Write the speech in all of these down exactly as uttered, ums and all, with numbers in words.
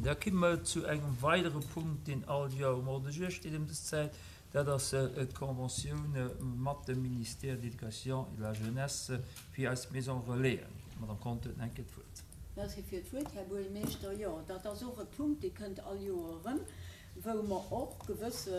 Da komme mer zu engem weidere Punkt, deen all Joer um Ordre du jour steet ëm dës Zäit. Dat ass d'Conventioun mat dem Ministère de l'Éducation et de la Jeunesse fir eis Maison Relaisen. D'Madame Conter huet nach eng Kéier d'Wuert. Merci fir d'Wuert, Här Buergermeeschter. Jo, dat ass och e Punkt, dee kënnt all Joer erëm, wou mer och gewësse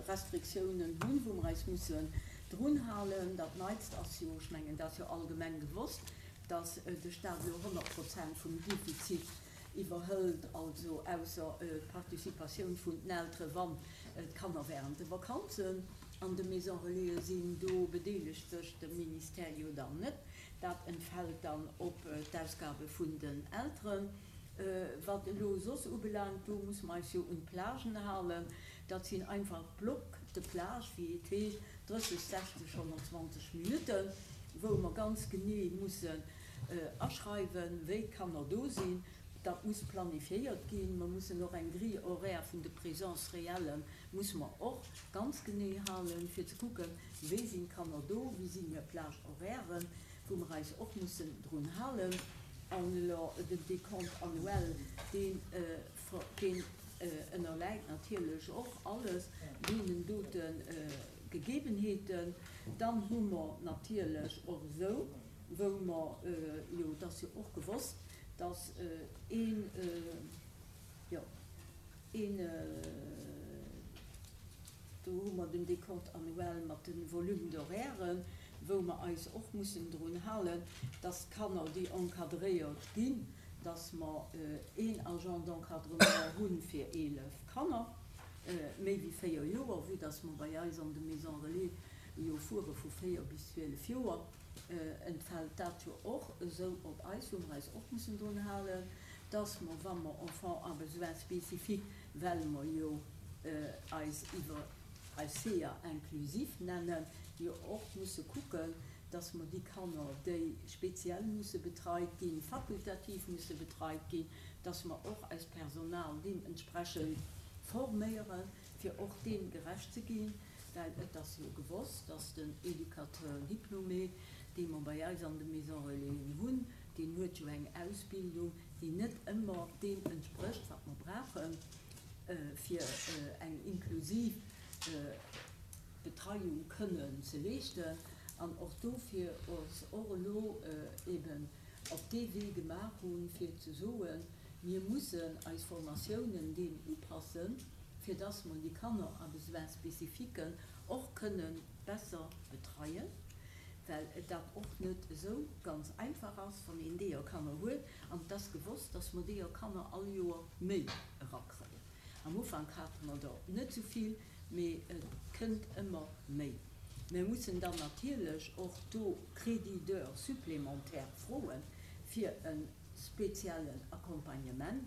Restriktiounen hunn, wou mer eis mussen drunhalen. Dat Neitst ass jo, ech mengen, dat ass jo allgemeng gewosst, dass de Stat elo honnert Prozent vum Defizit iwwerhëlt, also ausser d'Participatioun vun den Eltere wann d'Kanner während de Vakanzen an de Maison Relaisen sinn. Do bedeelegt sech de Ministère jo dann net. Dat entfält dann op d'Ausgabe vun den Elteren. Wat elo soss ubelaangt, do musse mer eis jo un d'Plagen halen. Dat sinn einfach Blocs de plage, wéi et heescht, drësseg, sechzeg, honnertzwanzeg Minutten, wou mer ganz genee mussen aschreiwen, wéi d'Kanner do sinn. Dat muss planifiéiert ginn. Mer mussen och eng Grille horaire vun de Présences réelles musse mer och ganz genee halen, fir ze kucken, wéi sinn d'Kanner do, wéi sinn hir Plage-horairen, wou mer eis och mussen drun halen. An elo den Décompte annuel, deen, deen ënnerläit natierlech och alles deenen dote Gegebenheeten. Dann hu mer natierlech och esou, wou mer jo, et ass jo och gewosst, dass een, jo, een, do hu mer den Décompte annuel mat de Volume d'horairen, wou mer eis och mussen drun halen, dass d'Kanner, déi encadréiert ginn, dass mer een Agent d'encadrement hu fir eelef Kanner, méi wéi véier Joer, vue dass mer bei eis an de Maisons Relais jo fuere vu véier bis zwielef Joer, entfält dat jo och esou op eis, wou mer eis och mussen drun halen, dass mer, wa mer Enfants à besoins spécifiques, well mer jo eis iwwer eis C E A inclusif nennen, jo och musse kucken, dass mer déi Kanner, déi speziell musse betreit ginn, fakultativ musse betreit ginn, dass mer och eist Personal deementsprechend forméieren, fir och deem gerecht ze ginn, well et ass jo gewosst, dass den Éducateur diplômé, dee mer bei eis an de Maisons Relaisen hunn, deen huet jo eng Ausbildung, déi net ëmmer deem entsprécht, wat mer brauchen, fir eng inklusiv Betreiung kënnen ze leeschten. An och dofir ons och elo eben op dee Wee gemaach hunn, fir ze soen, mir mussen eis Formatiounen deem upassen, fir dass mer déi Kanner à besoins spécifiques och kënnen besser betreien, well dat och net esou ganz einfach ass, wann een deeër Kanner huet. An et ass gewosst, dass mer deeër Kanner all Joer méi erakréien. Am Ufank hate mer der net esou vill, mee et kënnt ëmmer méi. Mir mussen dann natierlech och do Crédits d'heures supplémentaires froen fir e speziellen Accompagnement.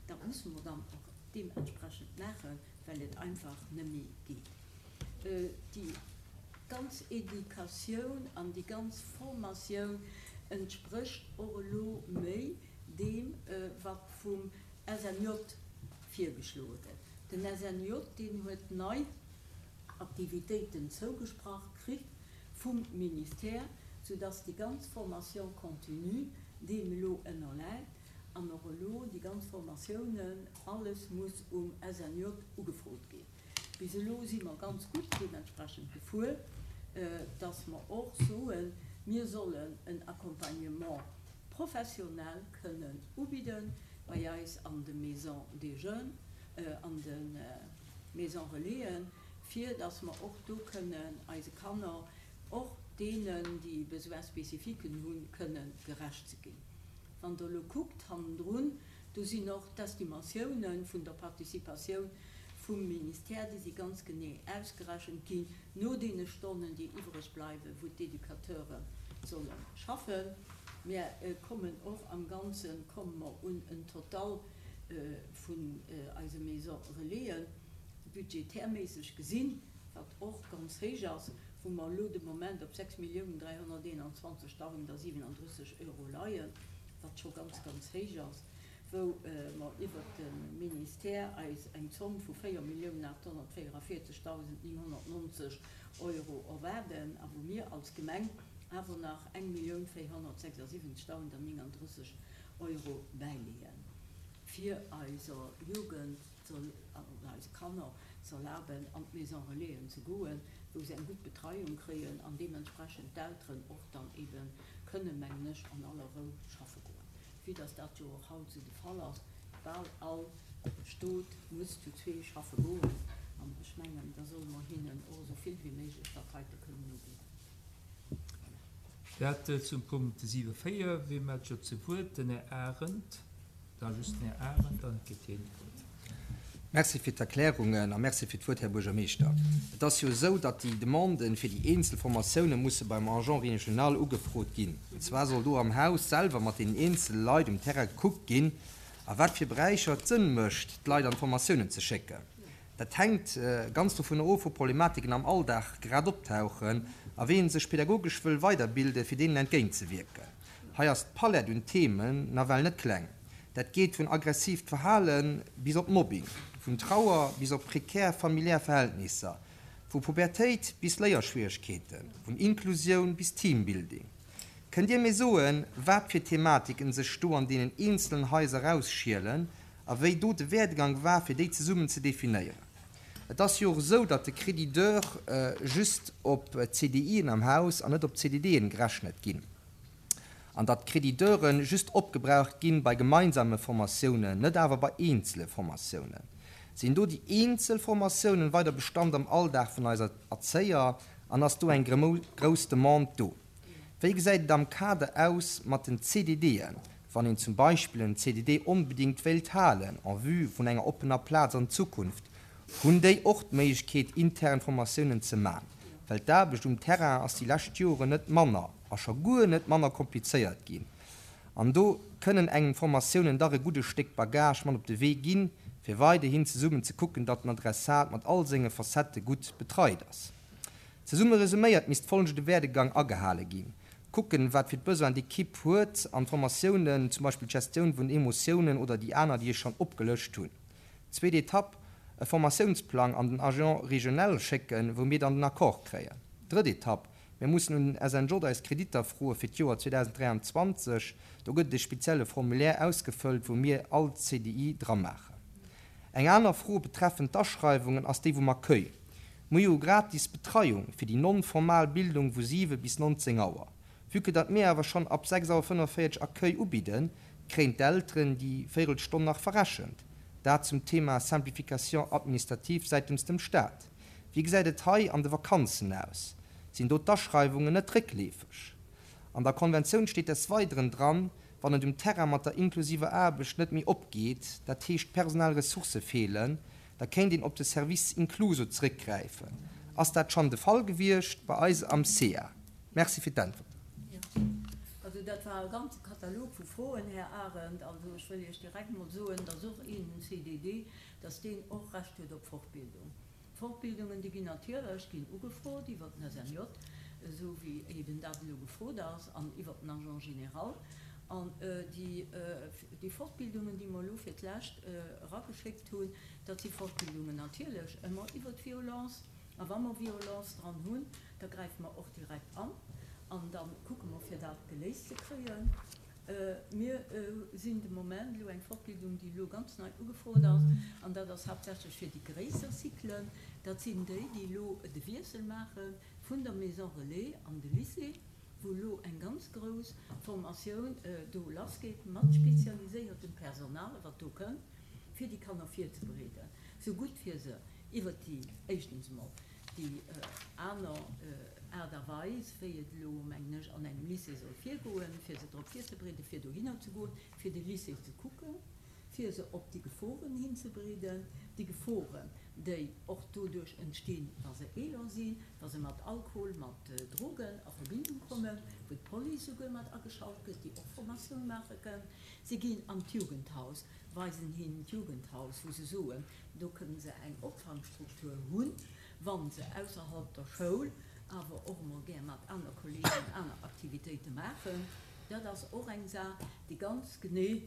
Dat musse mer dann och deementsprechend maachen, well et einfach net méi geet. Déi ganz Educatioun an déi ganz Formatioun entsprécht och elo méi deem, wat vum S N J virgeschloe gëtt. Den S N J, deen huet nei Aktivitéiten zougesprach kritt vum Ministère, soudass déi ganz Formation continue deem elo ënnerläit an och elo déi ganz Formatiounen, alles muss um S N J ugefrot ginn. Bis elo si mer ganz gutt deementsprechend gefuer, dass mer och soen, mir sollen en Accompagnement professionnel kënnen ubidden bei eis an de Maisons des Jeunes, an de Maisons Relaisen, fir dass mer och do kënnen eise Kanner, och deenen, déi Besoins spécifiques hunn, kënnen gerecht ze ginn. Wann Der elo kuckt hannendrun, do sinn och d'Estimatiounen vun der Participatioun vum Ministère, déi si ganz genee ausgerechent ginn no deene Stonnen, déi iwwreg bleiwen, wou d'Educateure solle schaffen. Mir kommen och am Ganze komme mer un en Total vun eise Maisons Relaisen, budgetärméisseg gesinn, wat och ganz héich ass, wou mer elo de Moment op sechs Milliounen dräihonnerteenanzwanzegdausendsiwenandrësseg Euro leien, wat scho ganz, ganz héich ass, wou mer iwwert de Ministère eis eng Zomm vu véier Milliounen achthonnertvéierundvierzegdausendnénghonnertnonzeg Euro erwaarden a wou mir als Gemeng awer nach eng Millioun véierhonnertsechsundsiwwenzegdausendnénganddrësseg Euro bäileeën. fir eiser Jugend, eise Kanner ze erlaben, an d'Maison Relaisen ze goen, wou se eng gutt Betreiung kréien an deementsprechend d'Elteren och dann eebe kënnen, mengen ech, an aller Rou schaffe goen, vue dass dat jo och haut esou de Fall ass, bal all Stot muss zu zwee schaffe goen an ech mengen, da solle mer hinnen och esou vill wéi méiglech dat heite kënnen ubidden. Dat zum Punkt siwe véier. Wie mellt scho zu Wuert? Den Här Arendt. Da just den Här Arendt, dann kritt hien d'Wuert. Merci fir d'Erklärungen a merci fir d'Wuert, Här Buergermeeschter. Et ass jo esou, datt déi Demanden fir déi eenzel Formatioune musse beim Agent régional ugefrot ginn. An zwar soll do am Haus selwer mat deenen eenzele Leit um Terrain gekuckt ginn, a wat fir Beräicher et Sënn mécht, d'Leit an d'Formatiounen ze schécken. Dat hänkt ganz dovunner of, wou Problematiken am Alldag grad optauchen a wéi ee sech pedagogesch wëll weiderbilden, fir deenen entgéintzewierken. Hei ass d'Palett un Themen nawell net kleng. Dat geet vun aggressiivt Verhale bis op Mobbing, vun Trauer bis op prekär familiär Verhältnisser, vu Pubertéit bis Léierschwieregkeeten, vun Inklusioun bis Teambuilding. Kënnt Dir mir soen, wat fir Thematiken sech do an deenen eenzelen Haiser erausschielen a wéi do de Werdegang war, fir déi zesummen ze definéieren? Et ass jo och esou, datt de Crédit d'heures just op C D I'en am Haus an net op C D D'en gerechnet ginn. An datt d'Crédit d'heuren just opgebraucht ginn bei gemeinsame Formatiounen, net awer bei eenzele Formatiounen. Sinn do déi eenzel Formatiounen weider Bestand am Alldag vun eiser Erzéier an ass do eng grouss Demande do? Wéi gesäit et am Kader aus mat den C D D'en, wann een zum Beispill en C D D onbedingt wéilt halen, en vue vun enger oppener Plaz an Zukunft, hunn déi och d'Méiglechkeet, intern Formatiounen ze man? Well d'Aarbecht um Terrain ass déi lescht Joren net manner a scho guer net manner komplizéiert ginn. An do kënnen engem Formatiounen dach e gudde Stéck Bagage mat op de Wee ginn, fir weiderhin zesummen ze kucken, datt den Adressat mat all senge Facettë gutt betreit ass. Zesumme resuméiert misst folgende Werdegang agehale ginn. Kucken, wat fir d'Besoin d'Ekipp huet an Formatiounen, zum Beispill d'Gestioun vun Emotiounen oder déi aner, déi ech schonn opgelëscht hunn. Zweet Etapp, e Formatiounsplang an den Agent régional schécken, wou mir dann den Accord kréien. Drëtt Etapp, mir mussen un den S N J eis Kreditter froe fir d'Joer zweitausenddräiundzwanzeg. Do gëtt e spezielle Formulaire ausgefëllt, wou mir all C D I dra maachen. Eng aner Fro betreffend d'Aschreiwungen ass déi vum Accueil. Mir hu gratis Betreiung fir déi non-formal Bildung vu siwe bis neunzehn Auer. Vu que dat mir awer schonn ab sechs Auer fënnefundvierzeg Accueil ubidden, kréien d'Elteren déi Véierelstonn nach verrechent. Dat zum Thema Simplification administrative seitens dem Staat. Wie gesäit et hei an de Vakanzen aus? Sinn do d'Aschreiwungen net réckleefeg? An der Konventioun steet des Weiteren dran, wann et um Terrain mat der inklusiver Aarbecht net méi opgeet, dat heescht personell Ressourcë feelen, da kéint een op de Service Incluso zréckgräifen. Ass dat schonn de Fall gewiescht bei eis am C A? Merci fir d'Äntwert. Ja. Also dat war e ganze Katalog vu Froen, Här Arendt. Also ech wëll Iech direkt mol soen, dass och een C D D, dass deen och Recht huet op Fortbildung. Fortbildungen, déi ginn natierlech, ginn ugefrot iwwer den S N J, esou wéi eben dat elo gefrot ass, an iwwer den Agent général. An, äh, déi, äh, déi Fortbildungen, déi mer elo fir d'Lescht, äh, erageschéckt hunn, dat si Fortbildungen natierlech ëmmer iwwer d'Violence. A wa mer Violence dran hunn, da gräife mer och direkt an. An dann kucke mer, fir dat geléist ze kréien. Äh, mir, äh, sinn de Moment elo eng Fortbildung, déi elo ganz nei ugefrot ass, an dat ass haaptsächlech fir déi gréisser Zyklen. Dat sinn déi, déi elo de Wiessel maache vun der Maison Relais an de Lycée, wou elo eng ganz grouss Formatioun, äh, do lassgeet mat spezialisiertem Personal, wat do kënnt, fir déi Kanner virzubereeden. So gutt fir se iwwer déi éischtens mol déi, äh, aner, äh, Aart a Weis, wéi et elo, mengen ech, an engem Lycée soll virgoen, fir se drop virzubereeden, fir dohinner ze goen, fir de Lycée ze kucken, fir se op déi Geforen hinzubereeden, déi Geforen, déi och doduerch entstinn, wa se eeler sinn, wa se mat Alkohol, mat, äh, Drogen a Verbindung kommen, wou d'Police souguer mat ageschalt gëtt, déi och Formatioun maache kënnen. Se ginn an d'Jugendhaus, weisen hinnen d'Jugendhaus, wou se soen, do kënnen se eng Opfangstruktur hunn, wann se ausserhalb der Schoul awer och emol gär mat aner Kollegen aner Aktivitéite maachen. Dat ass och eng Saach, déi ganz genee,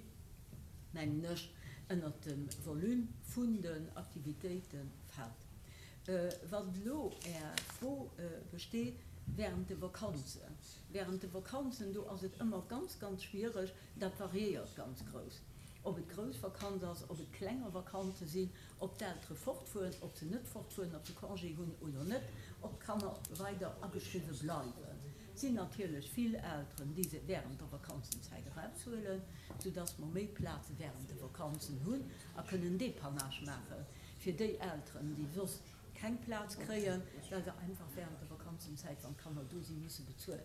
mengen ech, ënner dem Volume vun den Aktivitéite fält. Äh, wann elo Är Fro, äh, besteet, während de Vakanzen. Während de Vakanzen, do ass et ëmmer ganz, ganz schwierig, dat variéiert ganz grouss. Ob et grouss Vakanz ass, ob et klenger Vakanze sinn, ob d'Eltere fortfueren, ob se net fortfueren, ob se Congé hunn oder net, ob d'Kanner weider ageschriwwe bleiwen. Et sinn natierlech vill Elteren, déi se wärend der Vakanzenzäit eraushuelen, soudass mer méi Plaze wärend de Vakanzen hunn a kënnen Dépannage maache fir déi Elteren, déi soss keng Plaz kréien, well se einfach wärend der Vakanzenzäit, wann d'Kanner do sinn, musse bezuelen.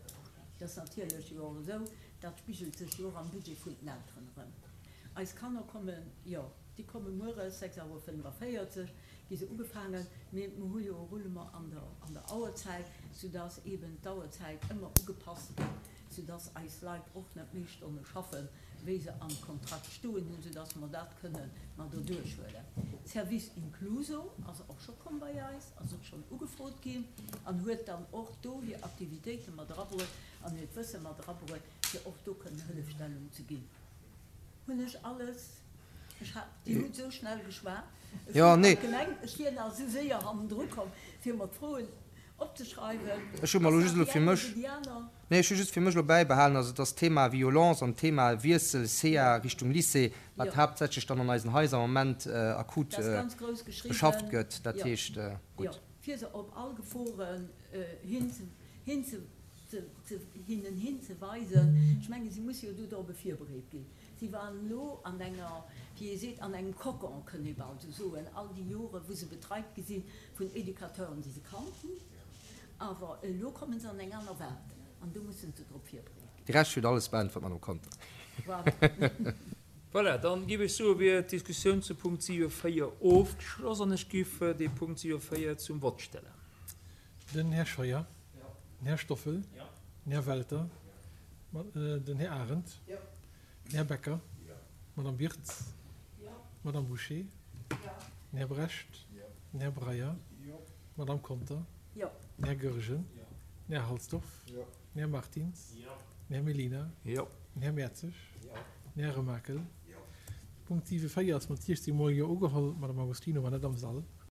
Dat ass natierlech jo och esou, dat spigelt sech jo och am Budget vun den Elteren erëm. Eis Kanner kommen, jo, déi komme mueres sechs Auer fënnefaféierzeg, gi se ugefaangen, mee mer hu jo e Roulement an der, an der Auerzäit, soudass eeben d'Auerzäit ëmmer ugepasst gëtt, soudass eis Leit och net méi Stonne schaffen, wéi se am Kontrakt stoen hunn, soudass mer dat kënne mat erduerchhuelen. Service Incluso ass och scho komm bei eis, ass och schonn ugefrot ginn an huet dann och do hir Aktivitéite mat erabruet an hiert Wësse mat erabruet, fir och do kënnen Hëllefstellung ze ginn. Hunn ech alles? Ech hat, Dir hutt esou schnell geschwat, ech Jo, hunn nee. nach gemengt, ech wier nach esou séier hannendru komm, fir mer d'Froen opzeschreiwen. Ech hu mer elo Ass just dat elo déi fir eng mech, oder déi aner? nee, ech hu just fir mech elo bäibehalen, also dass d'Thema Violence an d'Thema Wiessel C A Jo. Richtung Lycée, wat Jo. haaptsächlech dann an eisen Haiser am Moment akut Dat ass ganz grouss beschafft geschriwwen. gëtt, dat Jo. heescht, Jo, gutt. fir se op all Geforen hinze, hinze, ze, ze, hinnen hinzeweisen. Ech mengen, si musse jo do dorobber virbereet ginn. Si waren elo an enger, wéi ee seet, an engem Kokon, kënnt ee bal esou soen, all déi Jore wou se betreit gi si vun Educateuren, déi se kannt hunn. Awer elo komme se an eng aner Welt an do musse se drop virbereet ginn. De Rescht huet alles beäntwert, Madame Conter. Voilà. Voilà, dann giff ech soe wier d'Diskussioun zu Punkt siwe véier ofgeschloss an ech giff dee Punkt siwe véier zum Vott stellen. Den Här Scheuer. Den Här Stoffel. Den Här Welter. Den Här Arendt. Den Här Becker. D'Madame Birtz. D'Madame Bouché. Den Här Brecht. Den Här Breyer. D'Madame Conter. Den Här Goergen. Den Här Halsdorf. Den Här Martins. Den Här Mellina. Den Här Mertzig. Den Här Remakel. Punkt siwe véier ass mat siechzéng mol Jo ugeholl. D'Madame Agostino war net am Sall.